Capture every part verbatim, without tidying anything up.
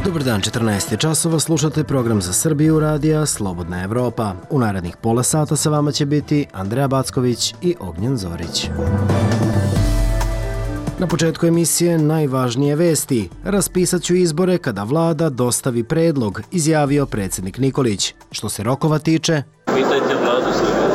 Dobar dan, četrnaest je časova, slušate program za Srbiju radija Slobodna Evropa. U narednih pola sata sa vama će biti Andreja Backović i Ognjen Zorić. Na početku emisije najvažnije vesti. Raspisat ću izbore kada vlada dostavi predlog, izjavio predsjednik Nikolić. Što se rokova tiče, pitajte vladu Srbije.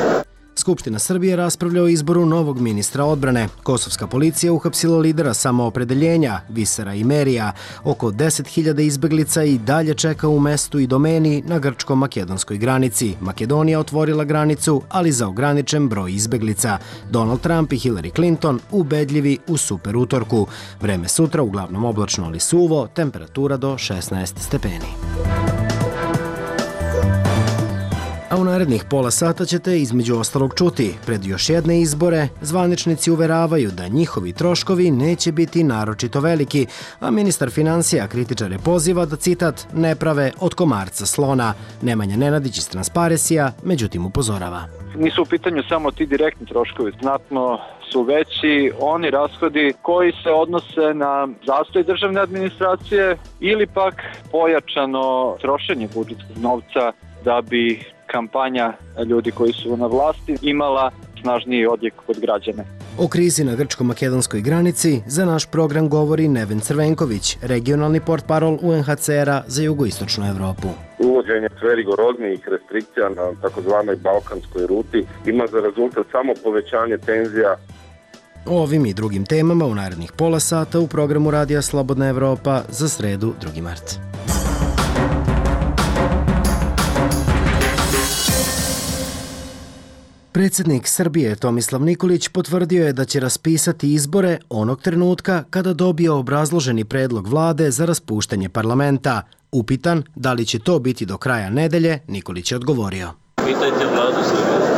Skupština Srbije raspravlja o izboru novog ministra odbrane. Kosovska policija uhapsila lidera samoopredeljenja, Visera Imerija. Oko deset hiljada izbeglica i dalje čeka u mestu i domeni na grčko-makedonskoj granici. Makedonija otvorila granicu, ali za ograničen broj izbeglica. Donald Trump i Hillary Clinton ubedljivi u super utorku. Vreme sutra uglavnom oblačno ali suvo, temperatura do šesnaest stepeni. A u narednih pola sata ćete između ostalog čuti. Pred još jedne izbore zvaničnici uveravaju da njihovi troškovi neće biti naročito veliki, a ministar financija kritičare poziva da, citat, ne prave od komarca slona. Nemanja Nenadić iz Transparesija, međutim upozorava. Nisu u pitanju samo ti direktni troškovi, znatno su veći oni rashodi koji se odnose na zastoj državne administracije ili pak pojačano trošenje budžetskog novca da bi kampanja ljudi koji su na vlasti imala snažniji odjek kod građana. O krizi na grčko-makedonskoj granici za naš program govori Neven Crvenković, regionalni portparol U N H C R-a za jugoistočnu Evropu. Uvođenje sve rigoroznijih restrikcija na takozvanoj balkanskoj ruti ima za rezultat samo povećanje tenzija. O ovim i drugim temama u narednih pola sata u programu Radija Slobodna Evropa za sredu drugi mart. Predsjednik Srbije Tomislav Nikolić potvrdio je da će raspisati izbore onog trenutka kada dobije obrazloženi predlog vlade za raspuštanje parlamenta. Upitan da li će to biti do kraja nedelje, Nikolić je odgovorio. Pitajte vladu Srbije.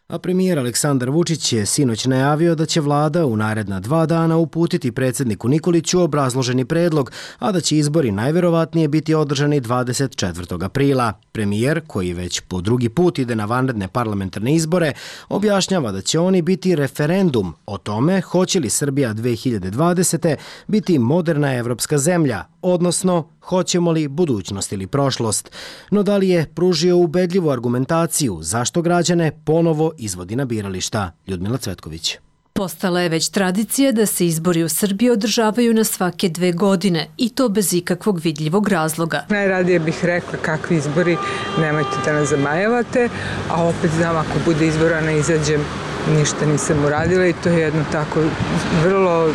A premijer Aleksandar Vučić je sinoć najavio da će vlada u naredna dva dana uputiti predsjedniku Nikoliću obrazloženi predlog, a da će izbori najverovatnije biti održani dvadeset četvrtog aprila. Premijer, koji već po drugi put ide na vanredne parlamentarne izbore, objašnjava da će oni biti referendum o tome hoće li Srbija dve hiljade dvadesete. biti moderna evropska zemlja, odnosno hoćemo li budućnost ili prošlost. No da li je pružio ubedljivu argumentaciju zašto građane ponovo izvodi na birališta? Ljudmila Cvetković. Postala je već tradicija da se izbori u Srbiji održavaju na svake dve godine i to bez ikakvog vidljivog razloga. Najradije bih rekla kakvi izbori, nemojte da nas zamajavate, a opet znam ako bude izbora ne izađem, ništa nisam uradila i to je jedno tako vrlo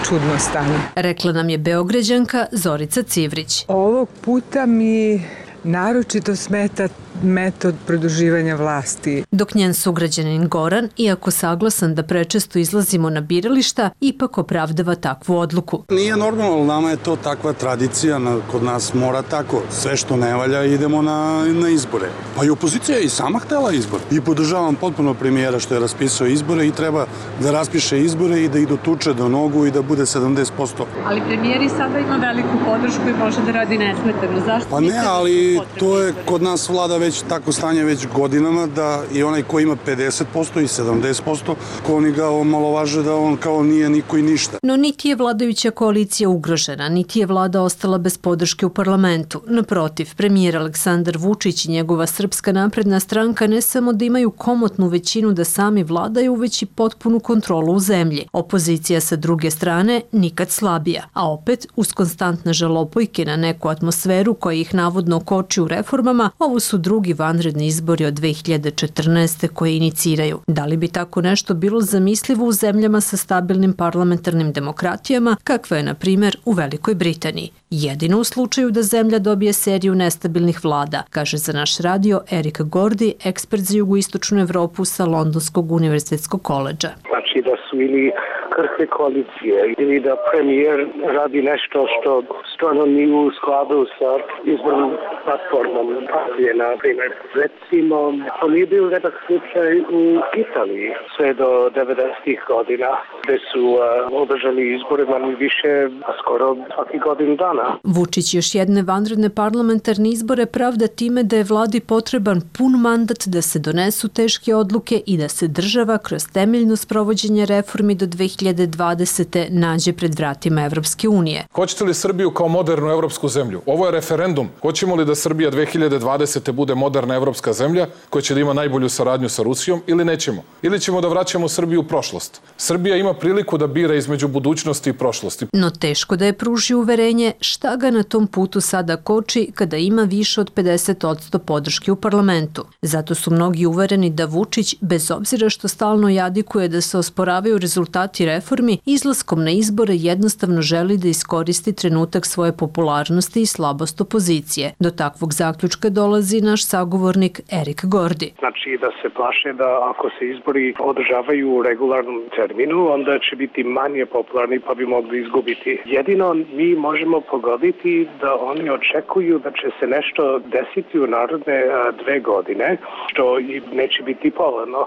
čudno stanje. Rekla nam je Beograđanka Zorica Civrić. Ovog puta mi naročito smeta metod produživanja vlasti. Dok njen sugrađanin Goran, iako saglasan da prečesto izlazimo na birališta, ipak opravdava takvu odluku. Nije normalno, nama je to takva tradicija, kod nas mora tako. Sve što ne valja idemo na, na izbore. Pa i opozicija je i sama htela izbor. I podržavam potpuno premijera što je raspisao izbore i treba da raspiše izbore i da idu tuče do nogu i da bude sedamdeset posto. Ali premijer i sada ima veliku podršku i može da radi nesmetano. Zašto? Pa ne, ali to je kod nas vlada već tako stanje već godinama da i onaj ko ima pedeset posto i sedamdeset posto, ko oni ga omalovaže da on kao nije niko i ništa. No niti je vladajuća koalicija ugrožena, niti je vlada ostala bez podrške u parlamentu. Naprotiv, premijer Aleksandar Vučić i njegova Srpska napredna stranka ne samo da imaju komotnu većinu da sami vladaju, već i potpunu kontrolu u zemlji. Opozicija sa druge strane nikad slabija, a opet uz konstantne žalopojke na neku atmosferu koja ih navodno koči u reformama, ovo su drugi vanredni izbori od dve hiljade četrnaeste. koje iniciraju. Da li bi tako nešto bilo zamislivo u zemljama sa stabilnim parlamentarnim demokratijama, kakva je, na primjer, u Velikoj Britaniji? Jedino u slučaju da zemlja dobije seriju nestabilnih vlada, kaže za naš radio Erik Gordi, ekspert za jugoistočnu Evropu sa Londonskog univerzitetskog koledža. Znači da su ili krhke koalicije ili da premijer radi nešto što stvarno nije u skladu sa izbornom platformom partije, na primjer. Recimo, to nije bio redak slučaj u Italiji sve do devedesetih godina, gde su uh, održali izbore manje više skoro svaki godinu dana. Vučić još jedne vanredne parlamentarne izbore pravda time da je vladi potreban pun mandat da se donesu teške odluke i da se država kroz temeljno sprovođenje reformi do dve hiljade dvadesete nađe pred vratima Evropske unije. Hoćete li Srbiju kao modernu evropsku zemlju? Ovo je referendum. Hoćemo li da Srbija dve hiljade dvadesete bude moderna evropska zemlja koja će da ima najbolju saradnju sa Rusijom ili nećemo? Ili ćemo da vraćamo Srbiju u prošlost? Srbija ima priliku da bira između budućnosti i prošlosti. No teško da je pruži uverenje šta ga na tom putu sada koči kada ima više od pedeset posto podrške u parlamentu. Zato su mnogi uvereni da Vučić, bez obzira što stalno jadikuje da se osporavaju rezultati reformi, izlaskom na izbore jednostavno želi da iskoristi trenutak svoje popularnosti i slabost opozicije. Do takvog zaključka dolazi naš sagovornik Erik Gordi. Znači da se plaše da ako se izbori održavaju u regularnom terminu, onda će biti manje popularni pa bi mogli izgubiti. Jedino mi možemo pogoditi da oni očekuju da će se nešto desiti u narodne dve godine, što i neće biti povoljno.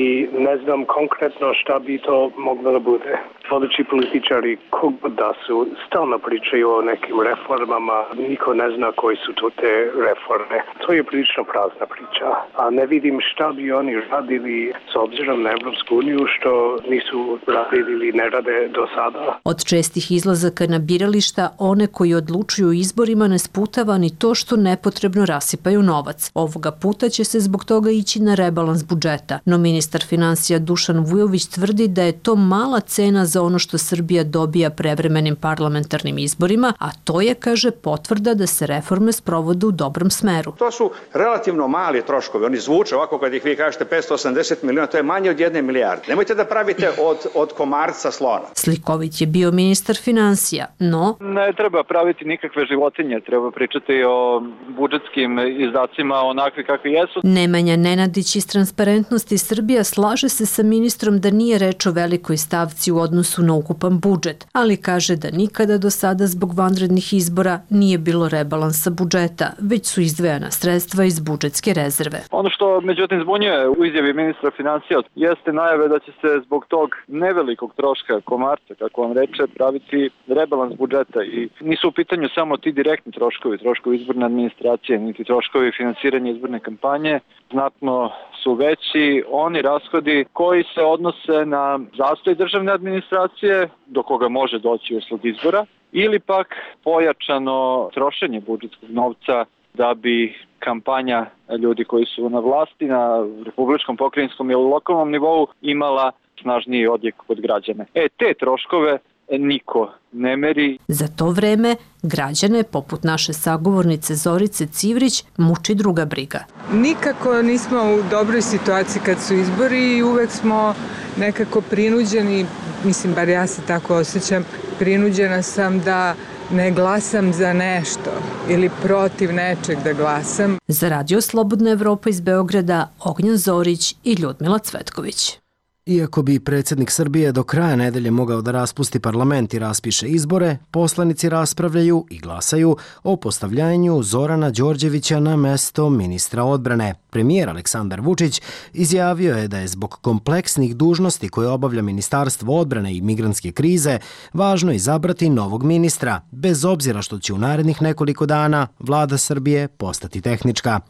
I ne znam konkretno šta bi to moglo da bude. Vodeći političari, kogod da su, stalno pričaju o nekim reformama, niko ne zna koji su to te reforme. To je prilično prazna priča, a ne vidim šta bi oni radili s obzirom na Evropsku uniju što nisu radili ili ne rade do sada. Od čestih izlazaka na birališta, one koji odlučuju o izborima ne sputava ni to što nepotrebno rasipaju novac. Ovoga puta će se zbog toga ići na rebalans budžeta, no ministar finansija Dušan Vujović tvrdi da je to mala cena za ono što Srbija dobija prevremenim parlamentarnim izborima, a to je, kaže, potvrda da se reforme sprovode u dobrom smeru. To su relativno mali troškovi, oni zvuče ovako kad ih vi kažete petsto osamdeset miliona, to je manje od jedne milijarde. Nemojte da pravite od, od komarca slona. Slikovit je bio ministar finansija, no... Ne treba praviti nikakve životinje, treba pričati o budžetskim izdacima onakvi kakvi jesu. Nemanja Nenadić iz Transparentnosti Srbija slaže se sa ministrom da nije reč o velikoj stavci u odnosu na ukupan budžet, ali kaže da nikada do sada zbog vanrednih izbora nije bilo rebalansa budžeta, već su izdvajana sredstva iz budžetske rezerve. Ono što međutim zbunjuje u izjavi ministra finansija jeste najave da će se zbog tog nevelikog troška komarca, kako on reče, praviti rebalans budžeta i nisu u pitanju samo ti direktni troškovi, troškovi izborne administracije, niti troškovi finansiranja izborne kampanje, znatno su veći oni rashodi koji se odnose na zastoj državne administracije, do koga može doći usled izbora, ili pak pojačano trošenje budžetskog novca da bi kampanja ljudi koji su na vlasti, na republičkom, pokrajinskom ili lokalnom nivou imala snažniji odjek kod građana. E, te troškove niko ne meri. Za to vreme građane, poput naše sagovornice Zorice Civrić, muči druga briga. Nikako nismo u dobroj situaciji kad su izbori i uvek smo nekako prinuđeni, mislim, bar ja se tako osjećam, prinuđena sam da ne glasam za nešto ili protiv nečeg da glasam. Za Radio Slobodna Evropa iz Beograda, Ognjan Zorić i Ljudmila Cvetković. Iako bi predsjednik Srbije do kraja nedelje mogao da raspusti parlament i raspiše izbore, poslanici raspravljaju i glasaju o postavljanju Zorana Đorđevića na mesto ministra odbrane. Premijer Aleksandar Vučić izjavio je da je zbog kompleksnih dužnosti koje obavlja Ministarstvo odbrane i migrantske krize važno izabrati novog ministra, bez obzira što će u narednih nekoliko dana vlada Srbije postati tehnička.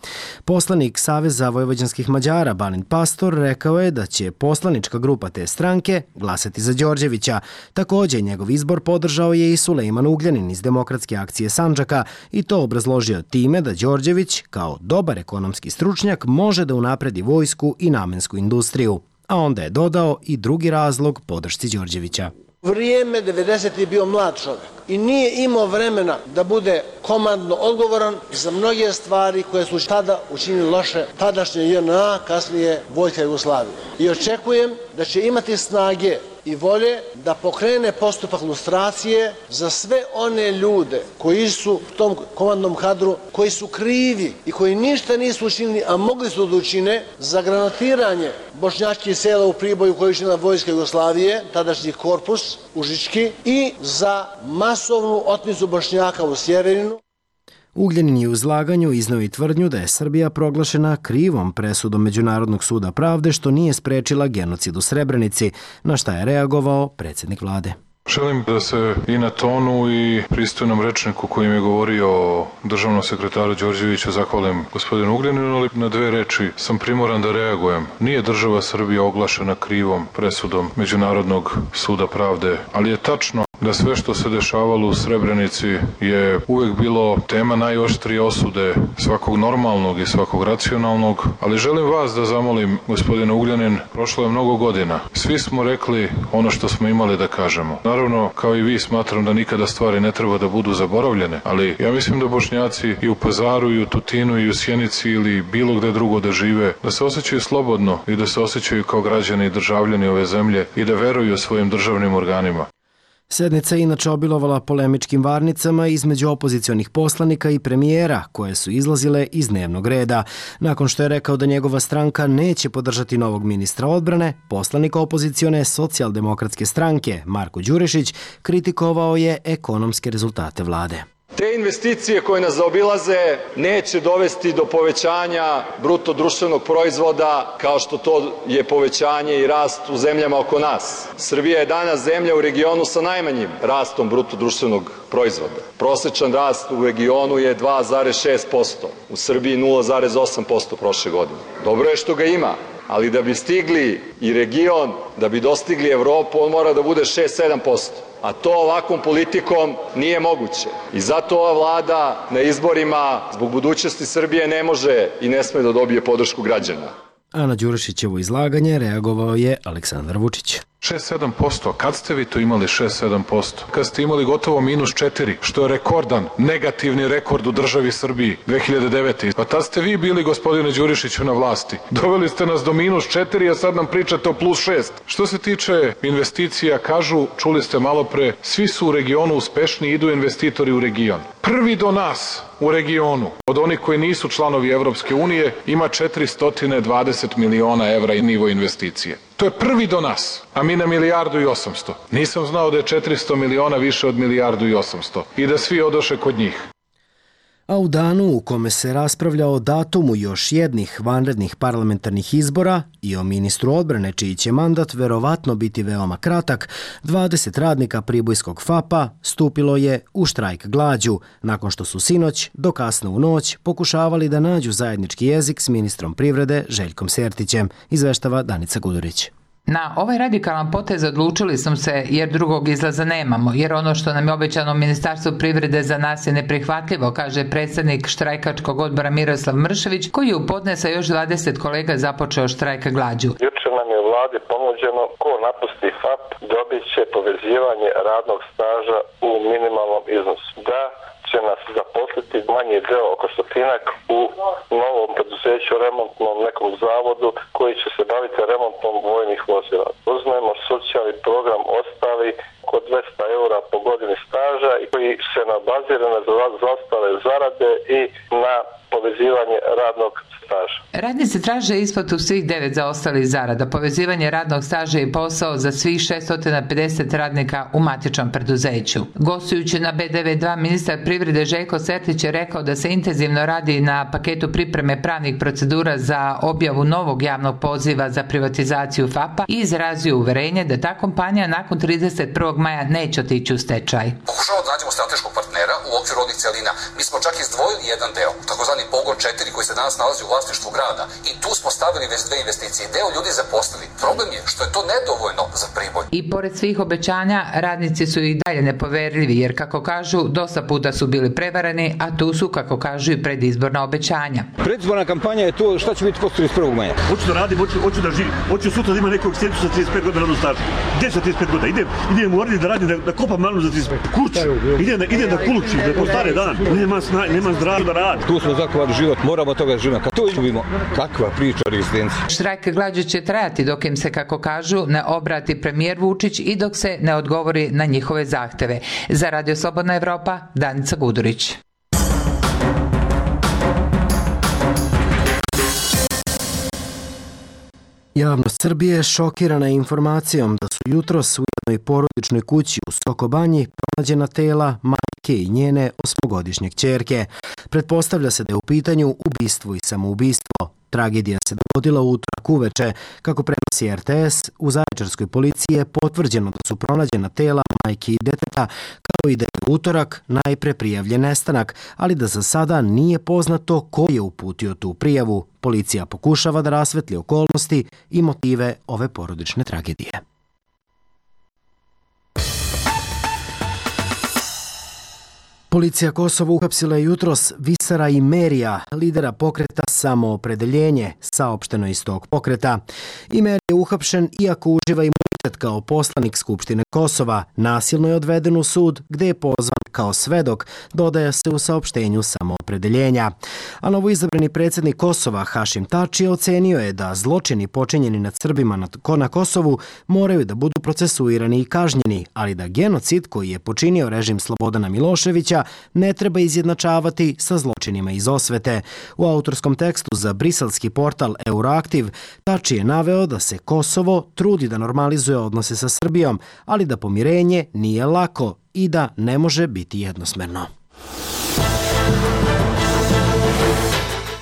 Poslanik Saveza vojvođanskih Mađara Balint Pastor rekao je da će poslanička grupa te stranke glasati za Đorđevića. Također njegov izbor podržao je i Sulejman Ugljanin iz Demokratske akcije Sandžaka i to obrazložio time da Đorđević, kao dobar ekonomski stručnjak, može da unapredi vojsku i namensku industriju. A onda je dodao i drugi razlog podršci Đorđevića. Vrijeme devedesetih je bio mlad čovjek i nije imao vremena da bude komandno odgovoran za mnoge stvari koje su tada učinili loše tadašnje J N A, kasnije Vojska Jugoslavije. I očekujem da će imati snage i volje da pokrene postupak lustracije za sve one ljude koji su u tom komandnom kadru, koji su krivi i koji ništa nisu učinili, a mogli su da učine za granatiranje bošnjačkih sela u Priboju koji je učinila Vojska Jugoslavije, tadašnji korpus Užički, i za masovnu otmicu Bošnjaka u Sjeverinu. Ugljanin je u izlaganju izneo i tvrdnju da je Srbija proglašena krivom presudom Međunarodnog suda pravde što nije sprečila genocid u Srebrenici, na šta je reagovao predsjednik vlade. Želim da se i na tonu i pristojnom rečniku kojim je govorio o državnom sekretaru Đorđeviću zahvalim gospodinu Ugljaninu, ali na dve reči sam primoran da reagujem. Nije država Srbija oglašena krivom presudom Međunarodnog suda pravde, ali je tačno da sve što se dešavalo u Srebrenici je uvek bilo tema najoštrije osude svakog normalnog i svakog racionalnog, ali želim vas da zamolim, gospodine Ugljanin, prošlo je mnogo godina. Svi smo rekli ono što smo imali da kažemo. Naravno, kao i vi, smatram da nikada stvari ne treba da budu zaboravljene, ali ja mislim da Bošnjaci i u Pazaru, i u Tutinu, i u Sjenici ili bilo gde drugo da žive, da se osjećaju slobodno i da se osjećaju kao građani i državljani ove zemlje i da veruju svojim državnim organima. Sednica je inače obilovala polemičkim varnicama između opozicionih poslanika i premijera, koje su izlazile iz dnevnog reda. Nakon što je rekao da njegova stranka neće podržati novog ministra odbrane, poslanik opozicione socijaldemokratske stranke Marko Đurišić kritikovao je ekonomske rezultate vlade. Te investicije koje nas zaobilaze neće dovesti do povećanja bruto društvenog proizvoda kao što to je povećanje i rast u zemljama oko nas. Srbija je danas zemlja u regionu sa najmanjim rastom bruto društvenog proizvoda. Prosečan rast u regionu je dva zarez šest posto, u Srbiji nula zarez osam posto prošle godine. Dobro je što ga ima, ali da bi stigli i region, da bi dostigli Evropu, on mora da bude šest do sedam posto. A to ovakvom politikom nije moguće. I zato ova vlada na izborima zbog budućnosti Srbije ne može i ne sme da dobije podršku građana. A na Đurišićevo izlaganje reagovao je Aleksandar Vučić. šest do sedam posto. Kad ste vi to imali šest do sedam posto? Kad ste imali gotovo minus četiri, što je rekordan, negativni rekord u državi Srbiji dve hiljade devete. Pa tad ste vi bili, gospodine Đurišiću, na vlasti. Doveli ste nas do minus četiri, a sad nam pričate o plus šest. Što se tiče investicija, kažu, čuli ste malo pre, svi su u regionu uspešni, idu investitori u region. Prvi do nas u regionu, od onih koji nisu članovi Evropske unije, ima četiristo dvadeset miliona evra i nivo investicije. To je prvi do nas, a mi na milijardu i osamsto. Nisam znao da je četiristo miliona više od milijardu i osamsto i da svi odoše kod njih. A u danu u kome se raspravlja o datumu još jednih vanrednih parlamentarnih izbora i o ministru odbrane čiji će mandat verovatno biti veoma kratak, dvadeset radnika Pribojskog FAP-a stupilo je u štrajk glađu, nakon što su sinoć do kasno u noć pokušavali da nađu zajednički jezik s ministrom privrede Željkom Sertićem, izveštava Danica Gudurić. Na ovaj radikalan potez odlučili smo se jer drugog izlaza nemamo, jer ono što nam je obećano Ministarstvo privrede za nas je neprihvatljivo, kaže predsjednik štrajkačkog odbora Miroslav Mršević, koji je u podne sa još dvadeset kolega započeo štrajka glađu. Juče nam je u vladi ponuđeno ko napusti FAP dobit će povezivanje radnog staža u minimalnom iznosu. Da će nas zaposliti manji deo oko stotinak u novom preduzeću, remontnom nekom zavodu koji će se baviti remontom vojnih vozila. Uzmemo socijalni program ostali kod dvesta eura po godini staža i koji se nabazira na zaostale zarade i na povezivanje radnog staža. Radnici traže isplatu svih devet zaostalih zarada. Povezivanje radnog staža je posao za svih šesto pedeset radnika u matičnom preduzeću. Gostujući na B D V dva, ministar privrede Željko Sertić je rekao da se intenzivno radi na paketu pripreme pravnih procedura za objavu novog javnog poziva za privatizaciju FAP-a i izrazio uverenje da ta kompanija nakon trideset prvog maja neće otići u stečaj. Pokušavamo da nađemo strateškog partnera u okviru ovih celina. Mi smo čak izdvojili jedan deo, takozvani pogon četiri koji se danas nalazi u vlasništvu grada i tu smo stavili već dve investicije. Deo ljudi zaposlili. Problem je što je to nedovoljno za Priboj. I pored svih obećanja, radnici su i dalje nepoverljivi jer, kako kažu, dosta puta su bili prevareni, a tu su, kako kažu, i predizborna obećanja. Predizborna kampanja je to šta će biti posle trideset prvog maja. Hoću da radim, hoću, hoću da živim, hoću sutra da ima nekog sjeću sa trideset pet godina radnog staža. Gde sa trideset pet godina? Idem, idem u Orlje da radim, da, da kopam malnu za trideset pet. Kuć, idem, da, idem da kulučim, da po stare dan. Nema, sna, nema zdravo da radi. Tu smo zakovali život, moramo toga živjeti. Kad to izgubimo, kakva priča o rezistenciji. Štrajk glađu će trajati dok im se, kako kažu, ne obrati premijer Vučić i dok se ne odgovori na njihove zahteve. Za Radio Slobodna Evropa, Danica Gudurić. Javnost Srbije je šokirana informacijom da su jutros u jednoj porodičnoj kući u Sokobanji pronađena tela majke i njene osmogodišnje kćerke. Pretpostavlja se da je u pitanju ubistvo i samoubistvo. Tragedija se dogodila u utorak uveče. Kako prenosi R T S, u zaječarskoj policiji je potvrđeno da su pronađena tela majke i deteta, kao i da je utorak najpre prijavljen nestanak, ali da za sada nije poznato ko je uputio tu prijavu. Policija pokušava da rasvetli okolnosti i motive ove porodične tragedije. Policija Kosova uhapsila je jutros Visara Imerija, lidera pokreta Samoopredeljenje, saopšteno iz tog pokreta. Imerija je uhapšen iako uživa imunitet kao poslanik Skupštine Kosova. Nasilno je odveden u sud gde je pozvan kao svedok, dodaje se u saopštenju Samoopredeljenja. A novoizabrani predsjednik Kosova Hašim Tači ocenio je da zločini počinjeni nad Srbima na Kosovu moraju da budu procesuirani i kažnjeni, ali da genocid koji je počinio režim Slobodana Miloševića ne treba izjednačavati sa zločinima iz osvete. U autorskom tekstu za briselski portal Euroaktiv Tači je naveo da se Kosovo trudi da normalizuje odnose sa Srbijom, ali da pomirenje nije lako i da ne može biti jednosmerno.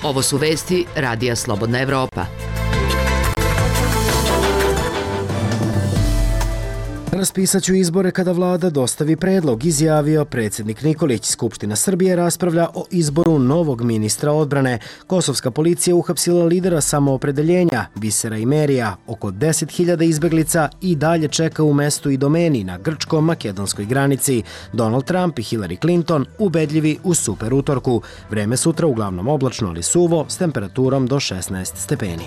Ovo su vesti Radija Slobodna Evropa. Raspisat ću izbore kada vlada dostavi predlog, izjavio predsjednik Nikolić. Skupština Srbije raspravlja o izboru novog ministra odbrane. Kosovska policija uhapsila lidera Samoopredeljenja, Visara Imerija. Oko deset hiljada izbeglica i dalje čeka u mestu Idomeni na grčko-makedonskoj granici. Donald Trump i Hillary Clinton ubedljivi u super utorku. Vreme sutra uglavnom oblačno, ali suvo, s temperaturom do šesnaest stepeni.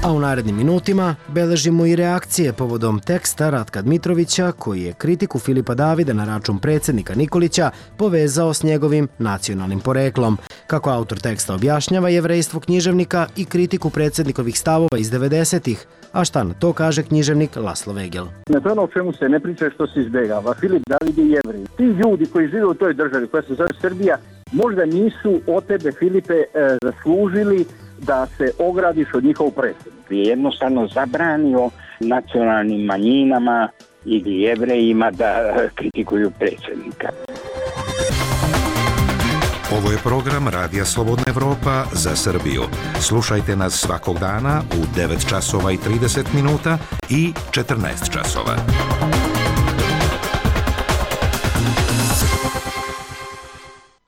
A u narednim minutima beležimo i reakcije povodom teksta Ratka Dmitrovića, koji je kritiku Filipa Davida na račun predsjednika Nikolića povezao s njegovim nacionalnim poreklom. Kako autor teksta objašnjava jevrejstvo književnika i kritiku predsjednikovih stavova iz devedesetih, a šta na to kaže književnik Laslo Vegel. Na to ono o čemu se ne priča što se izbjegava. Filip David je Jevrej. Ti ljudi koji žive u toj državi koja se zove Srbija, možda nisu od tebe, Filipe, zaslužili da se ogradiš od njihovog predsjednika. Je jednostavno zabranio nacionalnim manjinama ili Jevrejima da kritikuju predsjednika. Ovo je program Radija Slobodna Evropa za Srbiju. Slušajte nas svakog dana u devet časova i trideset minuta i četrnaest časova.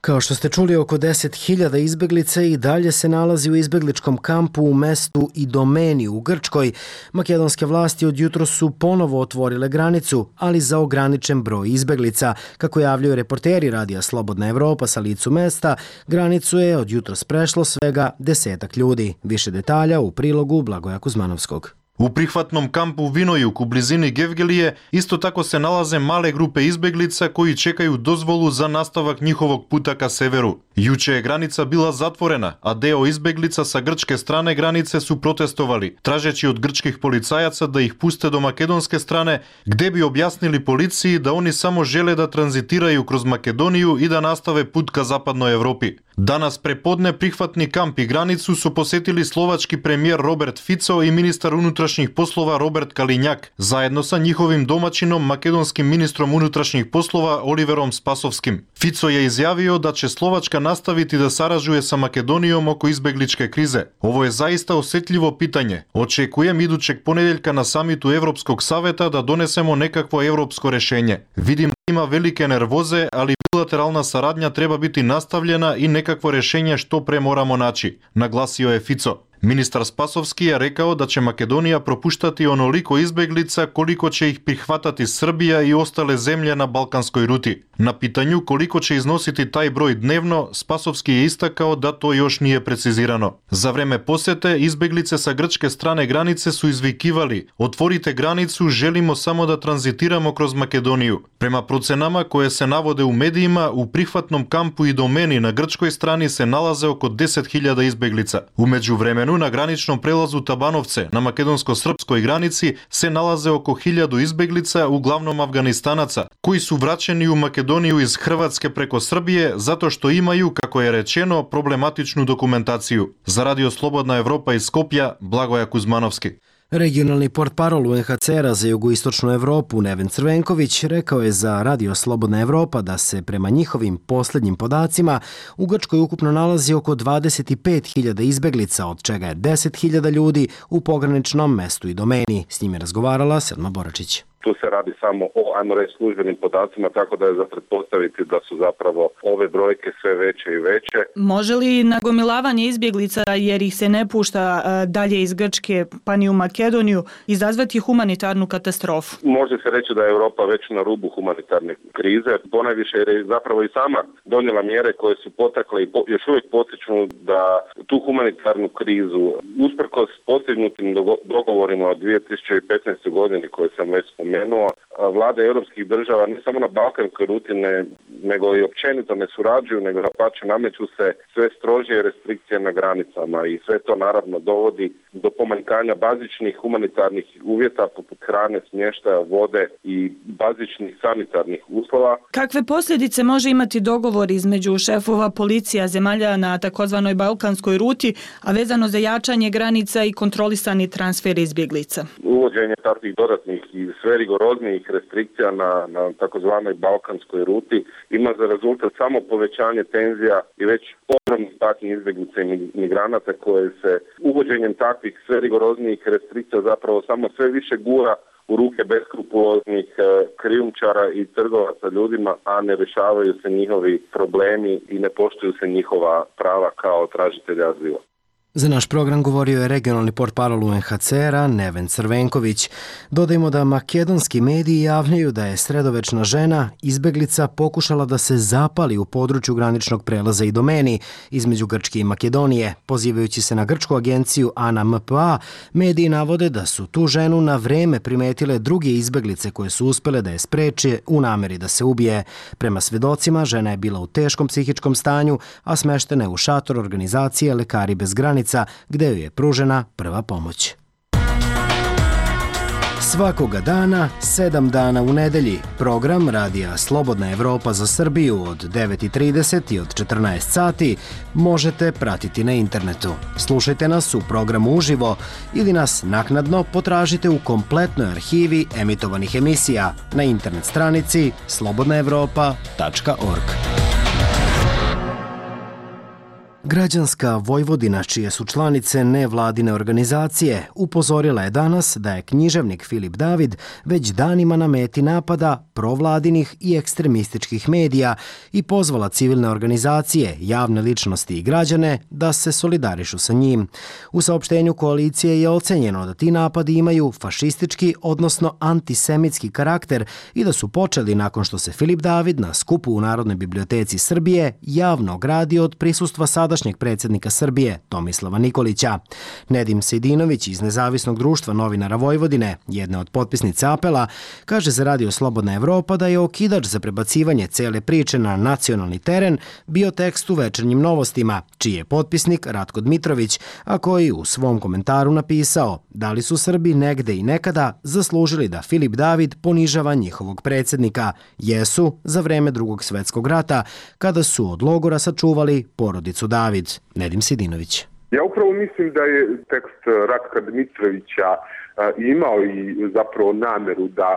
Kao što ste čuli, oko deset hiljada izbeglica i dalje se nalazi u izbegličkom kampu u mestu Idomeni u Grčkoj. Makedonske vlasti od jutro su ponovo otvorile granicu, ali za ograničen broj izbeglica. Kako javljaju reporteri Radija Slobodna Evropa sa licu mesta, granicu je od jutros prešlo svega desetak ljudi. Više detalja u prilogu Blagoja Kuzmanovskog. U prihvatnom kampu Vinojuk u blizini Gevgelije isto tako se nalaze male grupe izbeglica koji čekaju dozvolu za nastavak njihovog puta ka severu. Juče je granica bila zatvorena, a deo izbeglica sa grčke strane granice su protestovali, tražeći od grčkih policajaca da ih puste do makedonske strane, gde bi objasnili policiji da oni samo žele da tranzitiraju kroz Makedoniju i da nastave put ka zapadnoj Evropi. Danas prepodne prihvatni kamp i granicu su posetili slovački premijer Robert Fico i ministar unutrašnjih poslova Robert Kalinjak, zajedno sa njihovim domaćinom makedonskim ministrom unutrašnjih poslova Oliverom Spasovskim. Fico je izjavio da će Slovačka nastaviti da sarađuje sa Makedonijom oko izbegličke krize. Ovo je zaista osjetljivo pitanje. Očekujem idućeg ponedeljka na samitu Evropskog saveta da donesemo nekakvo evropsko rešenje. Vidim da ima velike nervoze, ali bilateralna saradnja treba biti nastavljena i nekakvo rešenje što pre moramo naći, naglasio je Fico. Ministar Spasovski je rekao da će Makedonija propuštati onoliko izbeglica koliko će ih prihvatati Srbija i ostale zemlje na balkanskoj ruti. Na pitanju koliko će iznositi taj broj dnevno, Spasovski je istakao da to još nije precizirano. Za vreme posete, izbeglice sa grčke strane granice su izvikivali: otvorite granicu, želimo samo da tranzitiramo kroz Makedoniju. Prema procenama koje se navode u medijima, u prihvatnom kampu Idomeni na grčkoj strani se nalaze oko deset hiljada izbeglica. U međuvremenu na graničnom prelazu Tabanovce na makedonsko-srpskoj granici se nalaze oko hiljadu izbeglica, uglavnom Afganistanaca, koji su vraćeni u Makedoniju iz Hrvatske preko Srbije zato što imaju, kako je rečeno, problematičnu dokumentaciju. Za Radio Slobodna Evropa iz Skopja, Blagoja Kuzmanovski. Regionalni portparol U N H C R-a za jugoistočnu Evropu Neven Crvenković rekao je za Radio Slobodna Evropa da se prema njihovim posljednjim podacima u Grčkoj ukupno nalazi oko dvadeset pet hiljada izbeglica, od čega je deset hiljada ljudi u pograničnom mestu i domeni. S njim je razgovarala Selma Boračić. Tu se radi samo o, ajmo reći, službenim podacima, tako da je za pretpostaviti da su zapravo ove brojke sve veće i veće. Može li nagomilavanje izbjeglica, jer ih se ne pušta dalje iz Grčke pa ni u Makedoniju, izazvati humanitarnu katastrofu? Može se reći da je Europa već na rubu humanitarne krize, ponajviše jer je zapravo i sama donijela mjere koje su potakle i po, još uvijek potiču da tu humanitarnu krizu, usprkos postignutim dogovorima od dvije tisuće petnaeste. godine koje sam već spomenuo, vlade europskih država ne samo na balkanskoj ruti ne, nego i općenito ne surađuju, nego napače nameću se sve strožije restrikcije na granicama i sve to naravno dovodi do pomanjkanja bazičnih humanitarnih uvjeta poput hrane, smještaja, vode i bazičnih sanitarnih uslova. Kakve posljedice može imati dogovor između šefova policija zemalja na takozvanoj balkanskoj ruti, a vezano za jačanje granica i kontrolisani transfer izbjeglica? Uvođenje takvih dodatnih i sve rigoroznijih restrikcija na, na takozvanoj balkanskoj ruti ima za rezultat samo povećanje tenzija i već ogromnih patnji izbjeglica i migranata koje se uvođenjem takvih sve rigoroznijih restrikcija zapravo samo sve više gura u ruke beskrupuloznih krijumčara i trgovaca ljudima, a ne rješavaju se njihovi problemi i ne poštuju se njihova prava kao tražitelja azila. Za naš program govorio je regionalni portparol U N H C R-a Neven Crvenković. Dodajmo da makedonski mediji javljaju da je sredovečna žena izbeglica pokušala da se zapali u području graničnog prelaza i domeni između Grčke i Makedonije. Pozivajući se na grčku agenciju A N A M P A, mediji navode da su tu ženu na vreme primetile druge izbeglice koje su uspele da je spreče u nameri da se ubije. Prema svedocima, žena je bila u teškom psihičkom stanju, a smeštena je u šator organizacije Lekari bez granica, gde joj je pružena prva pomoć. Svakoga dana, sedam dana u nedelji, program Radija Slobodna Evropa za Srbiju od devet i trideset i od četrnaest sati možete pratiti na internetu. Slušajte nas u programu uživo ili nas naknadno potražite u kompletnoj arhivi emitovanih emisija na internet stranici slobodna evropa tačka org. Građanska Vojvodina, čije su članice nevladine organizacije, upozorila je danas da je književnik Filip David već danima na meti napada provladinih i ekstremističkih medija i pozvala civilne organizacije, javne ličnosti i građane da se solidarišu sa njim. U saopštenju koalicije je ocenjeno da ti napadi imaju fašistički, odnosno antisemitski karakter i da su počeli nakon što se Filip David na skupu u Narodnoj biblioteci Srbije javno ogradio od prisustva sadašnjeg predsjednika Srbije Tomislava Nikolića. Nedim Sejdinović iz Nezavisnog društva novinara Vojvodine, jedne od potpisnica apela, kaže za Radio Slobodna Evropa da je okidač za prebacivanje cele priče na nacionalni teren bio tekst u Večernjim novostima, čiji je potpisnik Ratko Dmitrović, a koji u svom komentaru napisao da li su Srbi negde i nekada zaslužili da Filip David ponižava njihovog predsjednika. Jesu za vreme Drugog svjetskog rata, kada su od logora sačuvali porodicu David. Nedim Sidinović. Ja upravo mislim da je tekst Ratka Dmitrovića imao i zapravo nameru da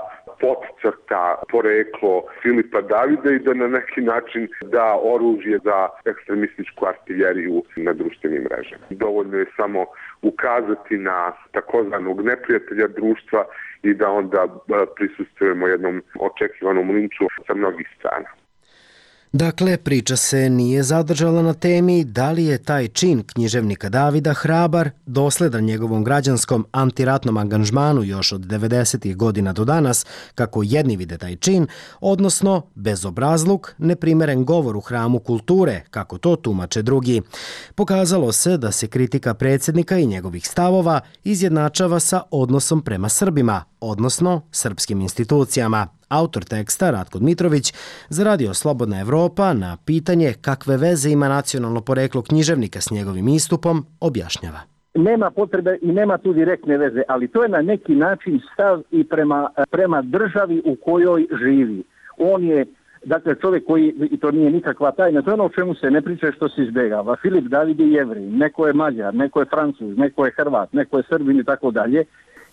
podcrta poreklo Filipa Davida i da na neki način da oružje za ekstremističku artiljeriju na društvenim mrežama. Dovoljno je samo ukazati na takozvanog neprijatelja društva i da onda prisustvujemo jednom očekivanom linču sa mnogih strana. Dakle, priča se nije zadržala na temi da li je taj čin književnika Davida hrabar, dosledan njegovom građanskom antiratnom angažmanu još od devedesetih godina do danas, kako jedni vide taj čin, odnosno bezobrazluk, neprimeren govor u hramu kulture, kako to tumače drugi. Pokazalo se da se kritika predsjednika i njegovih stavova izjednačava sa odnosom prema Srbima, odnosno srpskim institucijama. Autor teksta, Ratko Dmitrović, za Radio Slobodna Evropa na pitanje kakve veze ima nacionalno poreklo književnika s njegovim istupom, objašnjava. Nema potrebe i nema tu direktne veze, ali to je na neki način stav i prema, prema državi u kojoj živi. On je, dakle, čovjek koji, i to nije nikakva tajna, to je ono o čemu se ne priča što se izbjegava. Filip David je Jevrej, neko je Mađar, neko je Francuz, neko je Hrvat, neko je Srbin i tako dalje.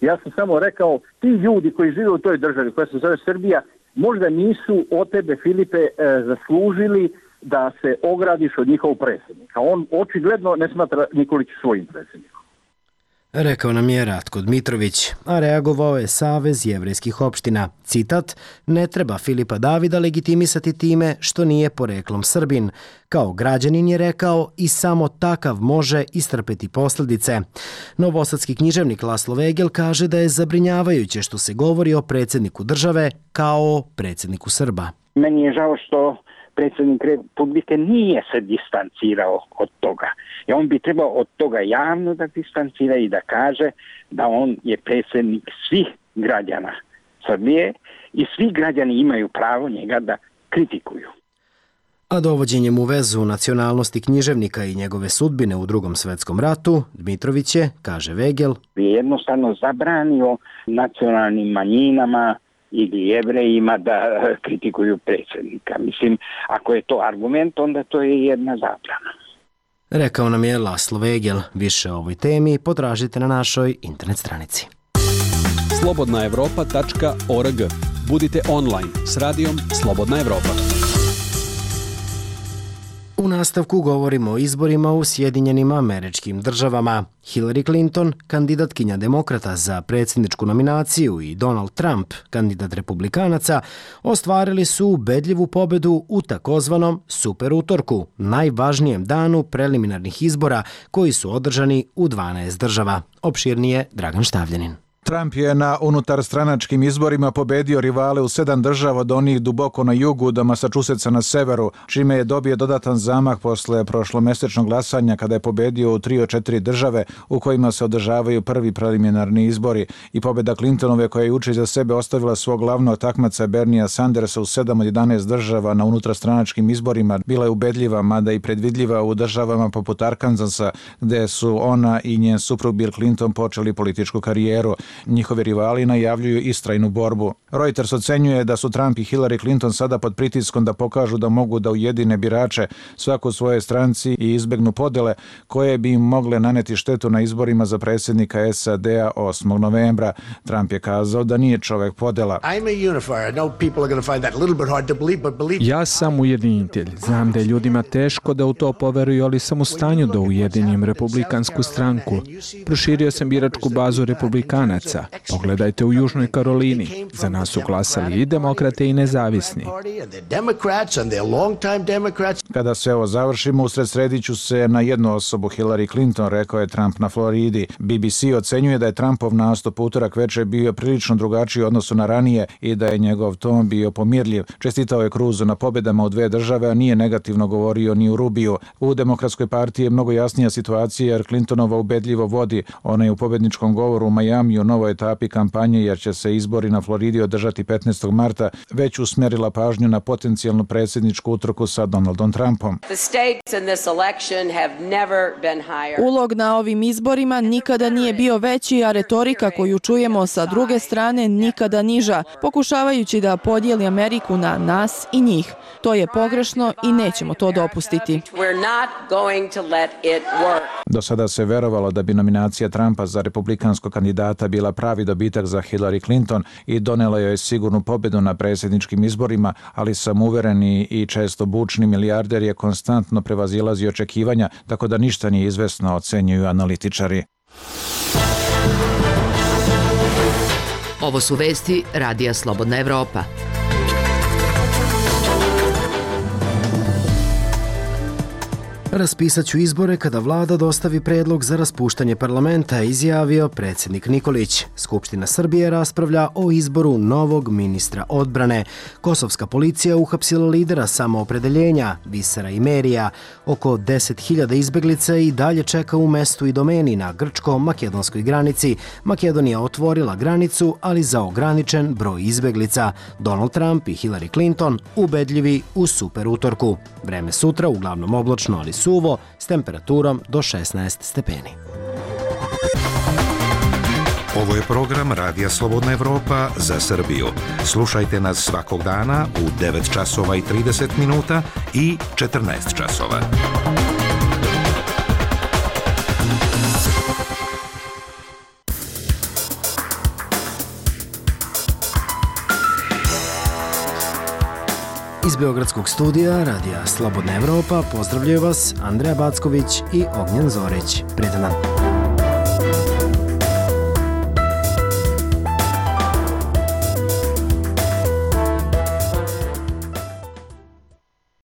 Ja sam samo rekao, ti ljudi koji žive u toj državi koja se zove Srbija, možda nisu od tebe, Filipe, e, zaslužili da se ogradiš od njihovog predsjednika. On očigledno ne smatra Nikolić svojim predsjednikom. Rekao nam je Ratko Dmitrović, a reagovao je Savez jevrejskih opština. Citat, ne treba Filipa Davida legitimisati time što nije poreklom Srbin. Kao građanin je rekao i samo takav može istrpeti posljedice. Novosadski književnik Laslo Vegel kaže da je zabrinjavajuće što se govori o predsjedniku države kao o predsjedniku Srba. Meni je žao što predsjednik Republike nije se distancirao od toga. I on bi trebao od toga javno da distancira i da kaže da on je predsjednik svih građana Srbije i svi građani imaju pravo njega da kritikuju. A dovođenjem u vezu nacionalnosti književnika i njegove sudbine u Drugom svjetskom ratu, Dmitrović je, kaže Vegel, je jednostavno zabranio nacionalnim manjinama ili jevrejima da kritikuju predsjednika. Mislim, ako je to argument, onda to je jedna zabrana. Rekao nam je Laslo Vegel. Više o ovoj temi potražite na našoj internet stranici. slobodna evropa tačka org. Budite online s radijom Slobodna Evropa. U nastavku govorimo o izborima u Sjedinjenim Američkim Državama. Hillary Clinton, kandidatkinja demokrata za predsjedničku nominaciju, i Donald Trump, kandidat republikanaca, ostvarili su ubedljivu pobedu u takozvanom super utorku, najvažnijem danu preliminarnih izbora koji su održani u dvanaest država. Opširnije Dragan Štavljanin. Trump je na unutarstranačkim izborima pobedio rivale u sedam država od onih duboko na jugu do Massachusettsa na severu, čime je dobio dodatan zamah posle prošlomesečnog glasanja kada je pobedio u tri od četiri države u kojima se održavaju prvi preliminarni izbori, i pobeda Clintonove koja je juče iza sebe ostavila svog glavnog takmaca Bernia Sandersa u sedam od jedanaest država na unutarstranačkim izborima bila je ubedljiva, mada i predvidljiva u državama poput Arkansasa, gde su ona i njen suprug Bill Clinton počeli političku karijeru. Njihovi rivali najavljuju istrajnu borbu. Reuters ocenjuje da su Trump i Hillary Clinton sada pod pritiskom da pokažu da mogu da ujedine birače svako u svojoj stranci i izbegnu podele koje bi im mogle naneti štetu na izborima za predsjednika S A D-a osmog novembra. Trump je kazao da nije čovek podela. Ja sam ujedinitelj. Znam da je ljudima teško da u to poveruju, ali sam u stanju da ujedinim republikansku stranku. Proširio sam biračku bazu republikanaca. Pogledajte u Južnoj Karolini. Za nas su glasali i demokrate i nezavisni. Kada sve ovo završimo, usred srediću se na jednu osobu, Hillary Clinton, rekao je Trump na Floridi. B B C ocenjuje da je Trumpov nastup utorak večer bio prilično drugačiji u odnosu na ranije i da je njegov ton bio pomirljiv. Čestitao je Cruzu na pobedama u dve države, a nije negativno govorio ni u Rubiju. U Demokratskoj partiji je mnogo jasnija situacija jer Clintonova ubedljivo vodi. Ona je u pobedničkom govoru u Majamiju u novoj etapi kampanje, jer će se izbori na Floridi održati petnaestog marta, već usmerila pažnju na potencijalnu predsjedničku utrku sa Donaldom Trumpom. Ulog na ovim izborima nikada nije bio veći, a retorika koju čujemo sa druge strane nikada niža, pokušavajući da podijeli Ameriku na nas i njih. To je pogrešno i nećemo to dopustiti. Do sada se verovalo da bi nominacija Trumpa za republikanskog kandidata bila pravi dobitak za Hillary Clinton i donela joj sigurnu pobedu na predsjedničkim izborima, ali samouvereni i često bučni milijarder je konstantno prevazilazio očekivanja, tako da ništa nije izvesno, ocenjuju analitičari. Ovo su vesti Radija Slobodna Evropa. Raspisat ću izbore kada vlada dostavi predlog za raspuštanje parlamenta, izjavio predsjednik Nikolić. Skupština Srbije raspravlja o izboru novog ministra odbrane. Kosovska policija uhapsila lidera samoopredeljenja, Visera Imerija. Oko deset hiljada izbeglica i dalje čeka u mestu i domeni na grčko-makedonskoj granici. Makedonija otvorila granicu, ali za ograničen broj izbeglica. Donald Trump i Hillary Clinton ubedljivi u super utorku. Vreme sutra uglavnom oblačno, ali suvo, s temperaturom do šesnaest stepeni. Ovo je program Radija Slobodna Evropa za Srbiju. Slušajte nas svakog dana u devet časova i trideset minuta i četrnaest časova. Iz Beogradskog studija Radija Slobodna Evropa pozdravljaju vas Andreja Backović i Ognjen Zorić. Prijetan dan.